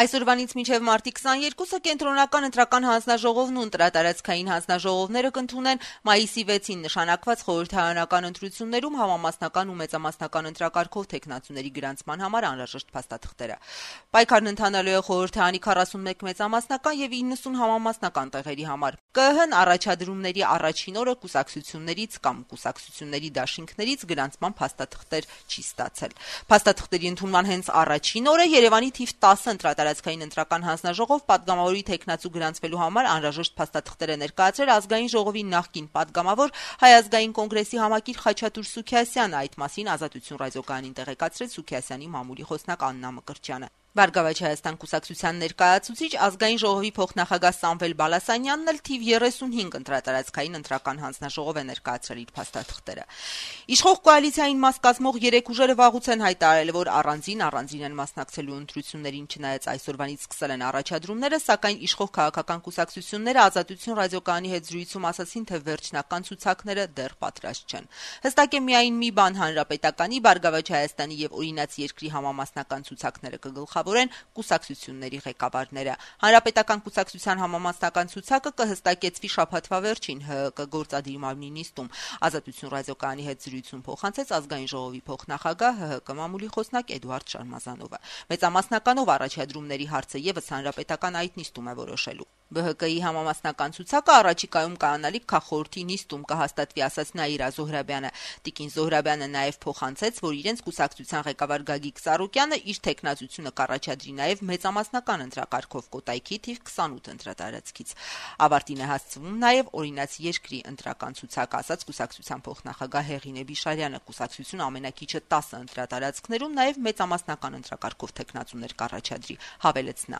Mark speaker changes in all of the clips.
Speaker 1: Այսօրվանից մինչև մարտի 22-ը կենտրոնական ընտրական հանձնաժողովն ու ընտրատարածքային հանձնաժողովները կընդունեն մայիսի 6-ին նշանակված խորհրդարանական ընտրություններում համամասնական ու մեծամասնական ընտրակարգով թեկնածուների գրանցման համար անհրաժեշտ փաստաթղթերը։ Պայքարն ընթանալու է խորհրդարանի 41 մեծամասնական եւ 90 համամասնական տեղերի համար։ ԿԸՀ-ն առաջադրումների առաջին օրը կուսակցություններից կամ կուսակցությունների դաշինքներից գրանցման փաստաթղթեր չի ստացել։ Փաստաթղթերի ընդունման հենց առաջին օրը Երևանի թիվ 10 ընտրատարածքային ընտրական հանձնաժողով падգամավորի թեկնածու գրանցվելու համար անհրաժեշտ փաստաթղթեր է ներկայացրել ազգային ժողովի նախկին падգամավոր Հայ ազգային կոնգրեսի համակիր Խաչատուր Սուքիասյանը, այդ մասին Ազատություն ռադիոկայանին տեղեկացրեց Սուքիասյանի մամուլի խոսնակ Աննա Մկրտչյանը։ Բարգավաճ Հայաստան կուսակցության ներկայացուցիչ ազգային ժողովի փոխնախագահ Սամվել Բալասանյանն էլ թիվ 35 ընտրատարածքային ընտրական հանձնաժողով է ներկայացրել իր փաստաթղթերը։ Իշխող կոալիցիային մաս կազմող 3 ուժերը վաղուց են հայտարարել, որ առանձին են մասնակցելու ընտրություններին, չնայած այսօրվանից սկսել են առաջադրումները, սակայն իշխող քաղաքական կուսակցությունները Ազատություն ռադիոկայանի հետ զրույցում ասացին, թե վերջնական ցուցակները դեռ պատրաստ չեն։ Հստակ է միայն մի բան՝ Հանրապետականի, Բարգավաճ Հայաստանի եւ Օրինաց երկրի համամասնական ցուցակները կգլխավորեն կուսակցությունների ղեկավարները։ Հանրապետական կուսակցության համամասնական ցուցակը կհստակեցվի շաբաթվա վերջին ՀՀԿ գործադիր մարմնի նիստում։ Ազատություն ռադիոկայանի հետ զրույցում փոխանցեց ազգային ժողովի փոխնախագահ ՀՀԿ մամուլի խոսնակ Էդուարդ Շարմազանովը։ Մեծամասնականով առաջադրումների հարցը եւս հանրապետական այդ նիստում է որոշելու։ ԲՀԿ-ի համամասնական ցուցակը առաջիկայում կայանալիք քաղաքորթի նիստում կհաստատվի, ասաց Նաիրա Զոհրաբյանը։ Տիկին Զոհրաբյանը նաեւ փոխանցեց, որ իրենց կուսակցության ղեկավար Գագիկ Սարոկյանը իր թեկնածությունը կառաջադրի նաեւ մեծամասնական ընտրակարգով Կոտայքի թիվ 28 ընտրատարածքից։ Ավարտին է հասցվում նաեւ Օրինաց երկրի ընտրական ցուցակը, ասաց կուսակցության փոխնախագահ Հեղինե Բիշարյանը։ Կուսակցությունը ամենակիչը 10 ընտրատարածքներում նաեւ մեծամասնական ընտրակարգով թեկնածուներ կառաջադրի, հավելեց նա։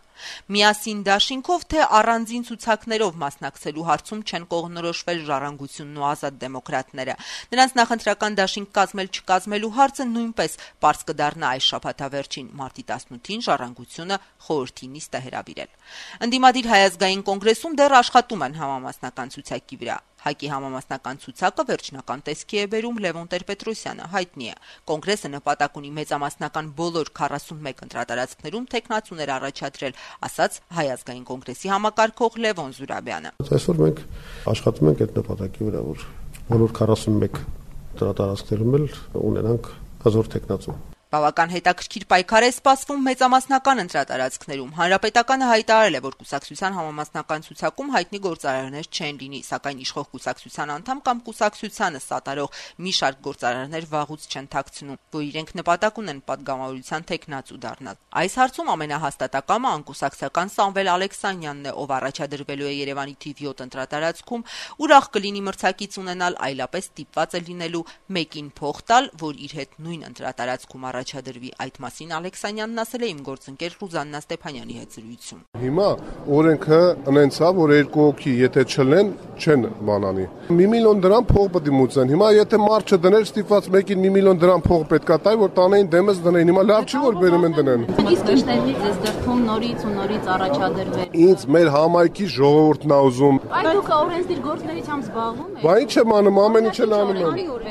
Speaker 1: Միասին դաշինքով թե առանձին ցուցակներով մասնակցելու հարցում չեն կողմնորոշվել Ժառանգությունն ու Ազատ դեմոկրատները։ Նրանց նախընտրական դաշինք կազմել-չկազմելու հարցը նույնպես պարզ կդառնա այս շաբաթավերջին։ Մարտի 18-ին Ժառանգությունը խորհրդի նիստ է հրավիրել։ Ընդդիմադիր Հայ ազգային կոնգրեսում դեռ աշխատում են համամասնական ցուցակի վրա։ ՀԱԿ-ի համամասնական ցուցակը վերջնական տեսքի է բերում Լևոն Տեր-Պետրոսյանը, հայտնի է։ Կոնգրեսը նպատակ ունի մեծամասնական բոլոր 41 ընտրատարածքներում թեկնածուներ առաջադրել, ասաց Հայ ազգային կոնգրեսի համակարգող Լևոն Զուրաբյանը։
Speaker 2: Այսօր մենք աշխատում ենք այդ նպատակի վրա, որ բոլոր 41 ընտրատարածքներում էլ ունենանք հզոր թեկնածու։
Speaker 1: Բավական հետաքրքիր պայքար է սպասվում մեծամասնական ընտրատարածքներում։ Հանրապետականը հայտարարել է, որ կուսակցության համամասնական ցուցակում հայտնի գործարարներ չեն լինի, սակայն իշխող կուսակցության անդամ կամ կուսակցությանը սատարող մի շարք գործարարներ վաղուց չեն թաքցնում, որ իրենք նպատակ ունեն падգամավորության թեկնածու դառնալ։ Այս հարցում ամենահաստատակամը անկուսակցական Սամվել Ալեքսանյանն է, ով առաջադրվելու է Երևանի թիվ 7 ընտրատարածքում, ուրախ կլինի մրցակից ունենալ, այլապես ստիպված է լինելու մեկին փող տալ, որ իր հետ նույն ընտրատարածքում առաջադրվի։ Այդ մասին Ալեքսանյանն ասել է իմ գործընկեր Ռուզաննա Ստեփանյանի հետ զրույցում։
Speaker 2: Հիմա օրենքը ունենցա, որ երկու հոգի եթե չլեն, չեն բանանի։ 1 միլիոն դրամ փող պետք է մուծեն։ Հիմա եթե մարդ չդներ, ստիպված մեկին 1 միլիոն դրամ փող պետք է տալ, որ տանեին դեմս դնեն։ Հիմա լավ չի որ բերում են դնեն։
Speaker 3: Իսկ ինչտեղից է դրթում նորից ու նորից առաջադրվել։
Speaker 2: Ինձ մեր համայնքի ժողովուրդն է ուզում։
Speaker 3: Այդ դուք օրենսդիր գործունեությամբ զբաղվում եք։
Speaker 2: Բա ինչ եմ անում, ամեն ինչ էլ անում եմ։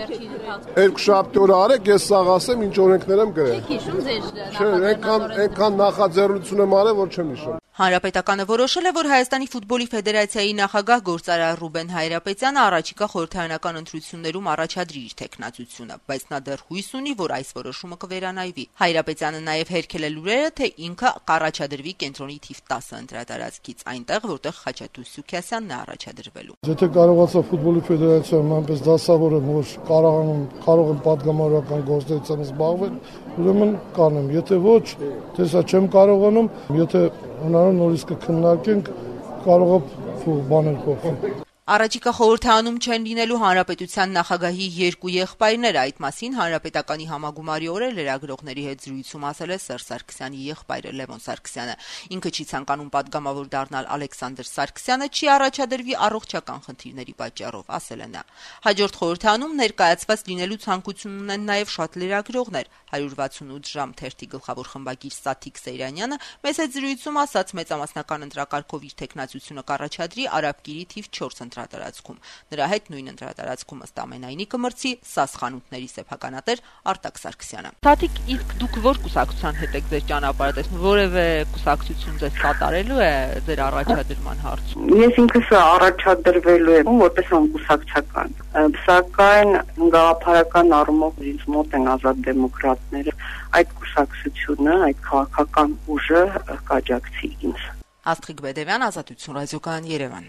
Speaker 2: Երկու շաբթի օր արեք, ես սաղ ասեմ, ինչ օրենքներ եմ գրել։
Speaker 3: Եք հիշում ձեր
Speaker 2: այնքան նախաձեռնություն եմ արել, որ չեմ հիշում։
Speaker 1: Հանրապետականը որոշել է, որ Հայաստանի ֆուտբոլի ֆեդերացիայի նախագահ գործարար Ռուբեն Հայրապետյանը առաջիկա խորհրդարանական ընտրություններում առաջադրի իր թեկնածությունը, բայց նա դեռ հույս ունի, որ այս որոշումը կվերանայվի։ Հայրապետյանը նաև հերքել է լուրերը, թե ինքը կառաջադրվի կենտրոնի թիվ 10 ընտրատարածքից, այնտեղ, որտեղ Խաչատուր Սուքիասյանն է առաջադրվելու։
Speaker 4: Եթե կարողացա ֆուտբոլի ֆեդերացիայում այնպես դասավոր եմ, որ կարող եմ падգամավորական գործունեությամբ զբաղվել, ուրեմն կանեմ, եթե ոչ, տեսա չեմ կարողանում, եթե հնարավոր նորից կքննարկենք, կարող է բաներ փոխել։
Speaker 1: Առաջիկա խորհրդարանում չեն լինելու հանրապետության նախագահի երկու եղբայրներ, այդ մասին հանրապետականի համագումարի օրը լրագրողների հետ զրույցում ասել է Սերժ Սարգսյանի եղբայրը Լևոն Սարգսյանը։ Ինքը չի ցանկանում падգամավոր դառնալ Ալեքսանդր Սարգսյանը, չի առաջադրվի առողջական խնդիրների պատճառով, ասել է նա։ Հաջորդ խորհրդարանում ներկայացված լինելու ցանկություն ունեն նաև շատ լրագրողներ։ 168 ժամ թերթի գլխավոր խմբագիր Սաթիկ Սեյրանյանը մեծ հետ զրույցում ասաց մեծամասնական ընտրակարգով իր թեկնածությունը կառաջադրի Արաբկիրի թիվ 4 ընտրատարածքում։ Նրա հետ նույն ընտրատարածքում ըստ ամենայնի կմրցի ՍԱՍ խանութների սեփականատեր Արտակ Սարգսյանը։ Թաթիկ, իսկ դուք որ կուսակցության հետ եք ձեր ճանապարհը տեսնում, որևէ կուսակցություն ձեզ կատարելու է ձեր առաջադրման հարցում։
Speaker 5: Ես ինքս առաջադրվելու եմ որպես անկուսակցական, սակայն գաղափարական առումով ինձ մոտ են ազատ դեմոկրատները, այդ կուսակցությունը, այդ քաղաքական ուժը կաջակցի ինձ։
Speaker 1: Աստղիկ Բեդևյան, Ազատություն ռադիոկայան, Երևան։